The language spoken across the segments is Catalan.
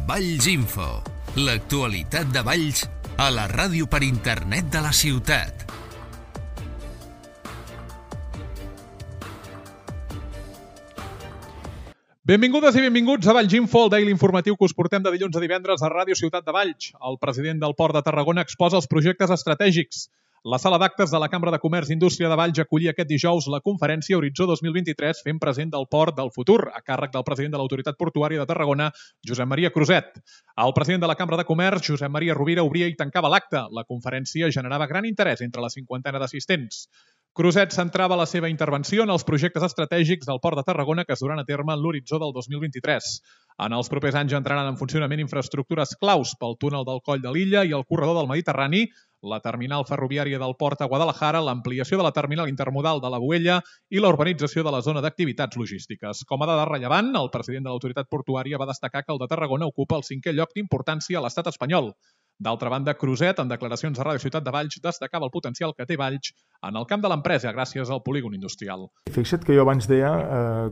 Valls Info, l'actualitat de Valls a la ràdio per internet de la ciutat. Benvingudes i benvinguts a Valls Info, el daily informatiu que us portem de dilluns a divendres a Ràdio Ciutat de Valls. El president del Port de Tarragona exposa els projectes estratègics. La sala d'actes de la Cambra de Comerç i Indústria de Valls acollia aquest dijous la conferència Horitzó 2023 fent present del Port del Futur, a càrrec del president de l'Autoritat Portuària de Tarragona, Josep Maria Cruzet. El president de la Cambra de Comerç, Josep Maria Rovira, obria i tancava l'acte. La conferència generava gran interès entre la cinquantena d'assistents. Cruzet centrava la seva intervenció en els projectes estratègics del Port de Tarragona que es duran a terme en l'horitzó del 2023. En els propers anys entraran en funcionament infraestructures claus pel túnel del Coll de l'Illa i el corredor del Mediterrani, la terminal ferroviària del Port a Guadalajara, l'ampliació de la terminal intermodal de la Boella i la urbanització de la zona d'activitats logístiques. Com a dada rellevant, el president de l'Autoritat Portuària va destacar que el de Tarragona ocupa el 5è lloc d'importància a l'estat espanyol. D'altra banda, Cruzet, en declaracions a Ràdio Ciutat de Valls, destacava el potencial que té Valls en el camp de l'empresa gràcies al polígon industrial. Fixa't que jo abans deia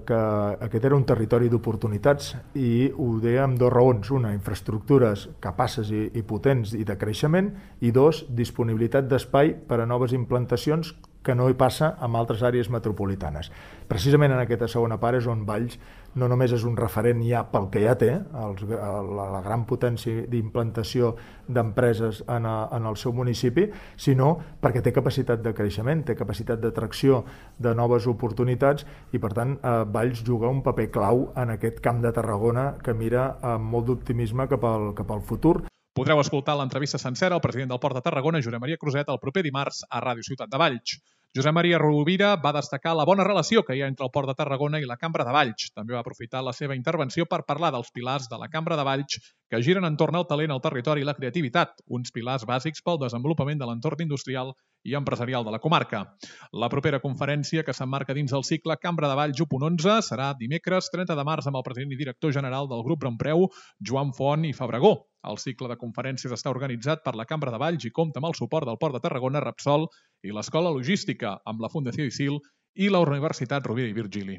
que aquest era un territori d'oportunitats i ho deia amb dues raons. Una, infraestructures capaces i potents i de creixement, i dos, disponibilitat d'espai per a noves implantacions que no hi passa en altres àrees metropolitanes. Precisament en aquesta segona part és on Valls no només és un referent ja pel que ja té, la gran potència d'implantació d'empreses en el seu municipi, sinó perquè té capacitat de creixement, té capacitat d'atracció de noves oportunitats i, per tant, Valls juga un paper clau en aquest camp de Tarragona que mira amb molt d'optimisme cap al futur. Podreu escoltar l'entrevista sencera al president del Port de Tarragona, Josep Maria Cruzet, el proper dimarts a Ràdio Ciutat de Valls. Josep Maria Rovira va destacar la bona relació que hi ha entre el Port de Tarragona i la Cambra de Valls. També va aprofitar la seva intervenció per parlar dels pilars de la Cambra de Valls que giren entorn al talent, el territori i la creativitat, uns pilars bàsics pel desenvolupament de l'entorn industrial i empresarial de la comarca. La propera conferència, que s'emmarca dins del cicle Cambra de Valls 1.11, serà dimecres 30 de març amb el president i director general del Grup Rompreu, Joan Font i Fabregó. El cicle de conferències està organitzat per la Cambra de Valls i compta amb el suport del Port de Tarragona, Repsol i l'Escola Logística, amb la Fundació ICIL i la Universitat Rovira i Virgili.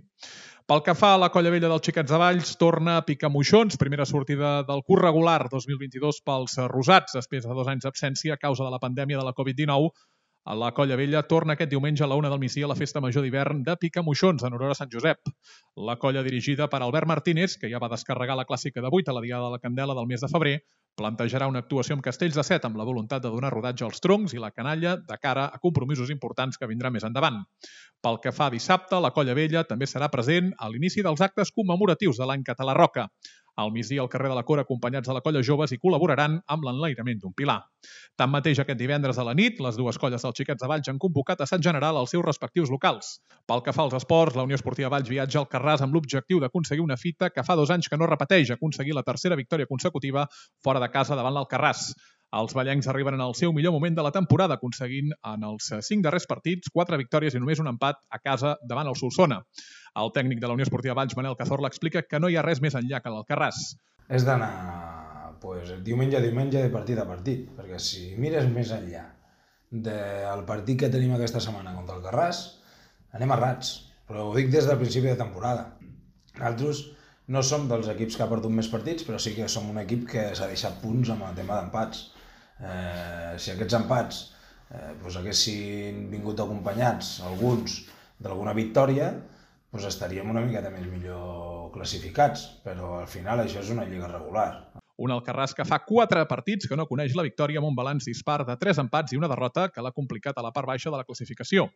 Pel que fa a la Colla Vella dels Xiquets de Valls, torna a picar moixons, primera sortida del curs regular 2022 pels rosats, després de 2 anys d'absència a causa de la pandèmia de la Covid-19. La Colla Vella torna aquest diumenge a la 1 del migdia a la Festa Major d'hivern de Picamoixons en honor a Sant Josep. La colla dirigida per Albert Martínez, que ja va descarregar la clàssica de 8 a la Diada de la Candela del mes de febrer, plantejarà una actuació amb castells de 7 amb la voluntat de donar rodatge als troncs i la canalla de cara a compromisos importants que vindran més endavant. Pel que fa a dissabte, la Colla Vella també serà present a l'inici dels actes commemoratius de l'any català Roca. Al migdia, al carrer de la Cora, acompanyats de la Colla Joves, i col·laboraran amb l'enlairament d'un pilar. Tanmateix, aquest divendres a la nit, les dues colles dels Xiquets de Valls han convocat assaig general als seus respectius locals. Pel que fa als esports, la Unió Esportiva Valls viatja al Carràs amb l'objectiu d'aconseguir una fita que fa 2 anys que no repeteix, aconseguir la tercera victòria consecutiva fora de casa davant l'Alcarràs. Els vallencs arriben en el seu millor moment de la temporada, aconseguint en els 5 darrers partits 4 victòries i només un empat a casa davant el Solsona. El tècnic de la Unió Esportiva Valls, Manel Cazorla, explica que no hi ha res més enllà que l'Alcarràs. És d'anar diumenge a diumenge, de partit a partit, perquè si mires més enllà del partit que tenim aquesta setmana contra el Carràs, anem errats, però ho dic des del principi de temporada. Nosaltres no som dels equips que ha perdut més partits, però sí que som un equip que s'ha deixat punts amb el tema d'empats. Si aquests empats haguessin vingut acompanyats, alguns, d'alguna victòria, estaríem una miqueta més millor classificats, però al final això és una lliga regular. Un Alcarràs que fa 4 partits que no coneix la victòria amb un balanç dispar de 3 empats i una derrota que l'ha complicat a la part baixa de la classificació.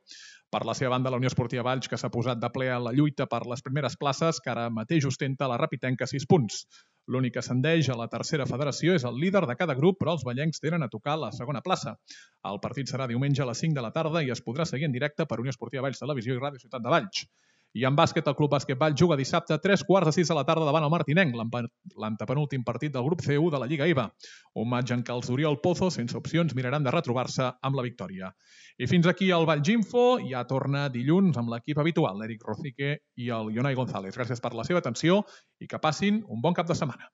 Per la seva banda, la Unió Esportiva Valls, que s'ha posat de ple a la lluita per les primeres places, que ara mateix ostenta la Rapitenca 6 punts. L'únic que ascendeix a la tercera federació és el líder de cada grup, però els vallencs tenen a tocar la segona plaça. El partit serà diumenge a les 5 de la tarda i es podrà seguir en directe per Unió Esportiva Valls Televisió i Ràdio Ciutat de Valls. I en bàsquet, el Club Bàsquet Valls juga dissabte a 3:15 de la tarda davant el Martinenc, l'antepenúltim partit del grup C1 de la Lliga EVA. Un maig en què els d'Oriol Pozo, sense opcions, miraran de retrobar-se amb la victòria. I fins aquí el Valls Info. Ja torna dilluns amb l'equip habitual, l'Eric Rocique i el Ionai González. Gràcies per la seva atenció i que passin un bon cap de setmana.